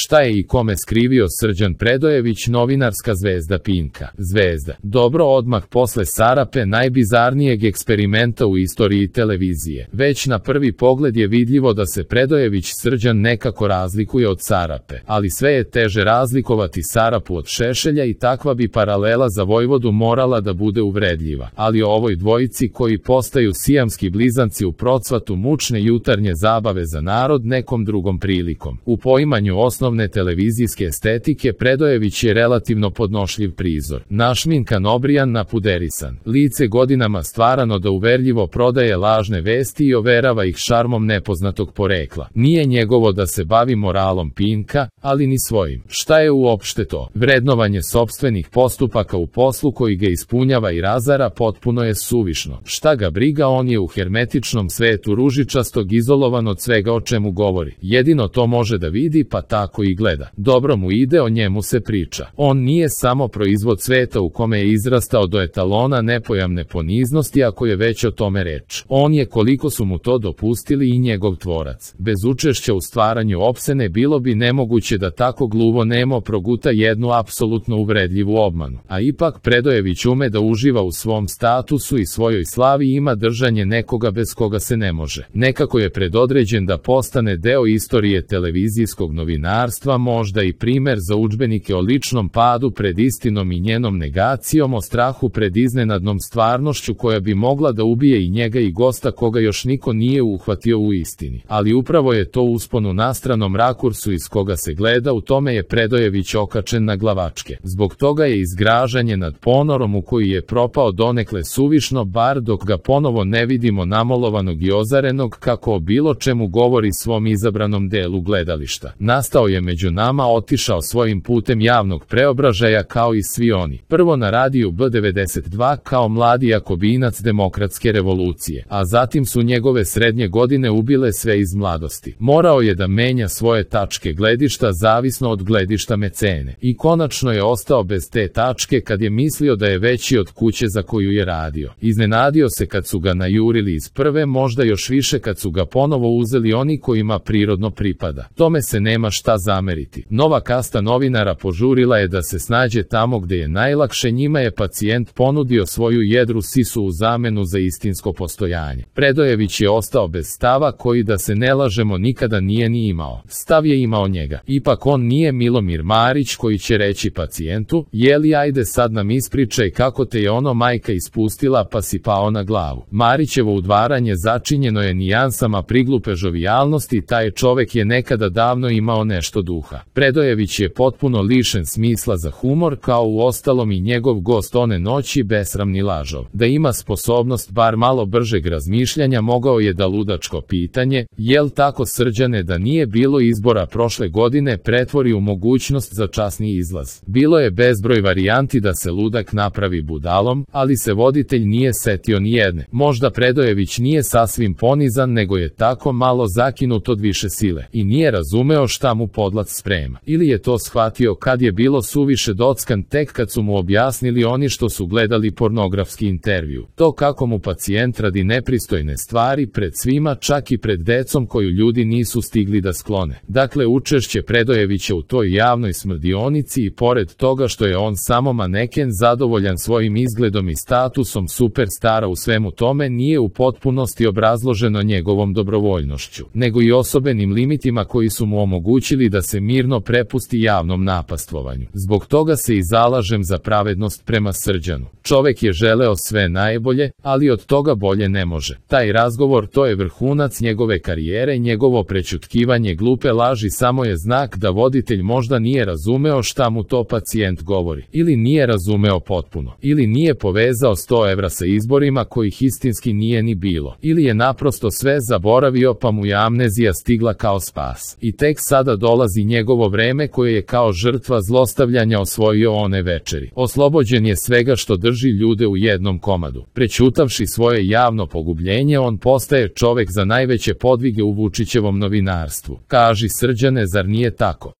Šta je i kome skrivio Srđan Predojević, novinarska zvezda Pinka? Zvezda. Dobro, odmah posle Sarape, najbizarnijeg eksperimenta u istoriji televizije. Već na prvi pogled je vidljivo da se Predojević Srđan nekako razlikuje od Sarape, ali sve je teže razlikovati Sarapu od Šešelja i takva bi paralela za Vojvodu morala da bude uvredljiva. Ali o ovoj dvojici koji postaju sijamski blizanci u procvatu mučne jutarnje zabave za narod nekom drugom prilikom. U poimanju osnovne televizijske estetike Predojević je relativno podnošljiv prizor. Našminkan, obrijan, napuderisan. Lice godinama stvarano da uverljivo prodaje lažne vesti i overava ih šarmom nepoznatog porekla. Nije njegovo da se bavi moralom Pinka, ali ni svojim. Šta je uopšte to? Vrednovanje sopstvenih postupaka u poslu koji ga ispunjava i razara potpuno je suvišno. Šta ga briga, on je u hermetičnom svetu ružičastog izolovan od svega o čemu govori. Jedino to može da vidi, pa tako i gleda. Dobro mu ide, o njemu se priča. On nije samo proizvod sveta u kome je izrastao do etalona nepojamne poniznosti, ako je već o tome reč. On je, koliko su mu to dopustili, i njegov tvorac. Bez učešća u stvaranju opsene bilo bi nemoguće da tako gluvo nemo proguta jednu apsolutno uvredljivu obmanu. A ipak Predojević ume da uživa u svom statusu i svojoj slavi i ima držanje nekoga bez koga se ne može. Nekako je predodređen da postane deo istorije televizijskog novinarstva, možda i primer za udžbenike o ličnom padu pred istinom i njenom negacijom, o strahu pred iznenadnom stvarnošću koja bi mogla da ubije i njega i gosta koga još niko nije uhvatio u istini. Ali upravo je to uspon u nastranom rakursu iz koga se gleda, u tome je Predojević okačen na glavačke. Zbog toga je izgražanje nad ponorom u koji je propao donekle suvišno, bar dok ga ponovo ne vidimo namolovanog i ozarenog kako o bilo čemu govori svom izabranom delu gledališta. Nastao je među nama, otišao svojim putem javnog preobražaja kao i svi oni. Prvo na radiju B92 kao mladi jakobinac demokratske revolucije, a zatim su njegove srednje godine ubile sve iz mladosti. Morao je da menja svoje tačke gledišta zavisno od gledišta mecene. I konačno je ostao bez te tačke kad je mislio da je veći od kuće za koju je radio. Iznenadio se kad su ga najurili iz prve, možda još više kad su ga ponovo uzeli oni kojima prirodno pripada. Tome se nema šta zameriti. Nova kasta novinara požurila je da se snađe tamo gde je najlakše, njima je pacijent ponudio svoju jedru sisu u zamenu za istinsko postojanje. Predojević je ostao bez stava koji, da se ne lažemo, nikada nije ni imao. Stav je imao njega. Ipak on nije Milomir Marić koji će reći pacijentu: jeli, ajde sad nam ispričaj kako te je ono majka ispustila pa si pao na glavu. Marićevo udvaranje začinjeno je nijansama priglupe žovijalnosti, taj čovek je nekada davno imao nešto duha. Predojević je potpuno lišen smisla za humor, kao u ostalom i njegov gost one noći, besramni lažov. Da ima sposobnost bar malo bržeg razmišljanja, mogao je da ludačko pitanje: jel tako, Srđane, da nije bilo izbora prošle godine, pretvori u mogućnost za časni izlaz. Bilo je bezbroj varijanti da se ludak napravi budalom, ali se voditelj nije setio ni jedne. Možda Predojević nije sasvim ponizan, nego je tako malo zakinut od više sile i nije razumeo šta mu podlac sprema. Ili je to shvatio kad je bilo suviše dockan tek kad su mu objasnili oni što su gledali pornografski intervju. To kako mu pacijent radi nepristojne stvari pred svima, čak i pred decom koju ljudi nisu stigli da sklone. Dakle, učešće Predojevića u toj javnoj smrdionici i pored toga što je on samo maneken zadovoljan svojim izgledom i statusom superstara u svemu tome, nije u potpunosti obrazloženo njegovom dobrovoljnošću, nego i osobenim limitima koji su mu omogućili da se mirno prepusti javnom napastvovanju. Zbog toga se i zalažem za pravednost prema Srđanu. Čovek je želeo sve najbolje, ali od toga bolje ne može. Taj razgovor, to je vrhunac njegove karijere, njegovo prećutkivanje glupe laži samo je znak da voditelj možda nije razumeo šta mu to pacijent govori. Ili nije razumeo potpuno. Ili nije povezao 100 evra sa izborima kojih istinski nije ni bilo. Ili je naprosto sve zaboravio pa mu je amnezija stigla kao spas. I tek sada dolazi njegovo vreme koje je kao žrtva zlostavljanja osvojio one večeri. Oslobođen je svega što drži ljude u jednom komadu. Prećutavši svoje javno pogubljenje, on postaje čovek za najveće podvige u Vučićevom novinarstvu. Kaži, Srđane, zar nije tako?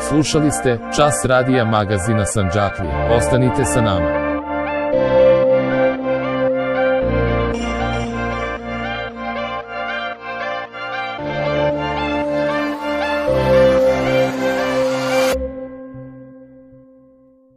Slušali ste Čas radija magazina Sandžaklija. Ostanite sa nama.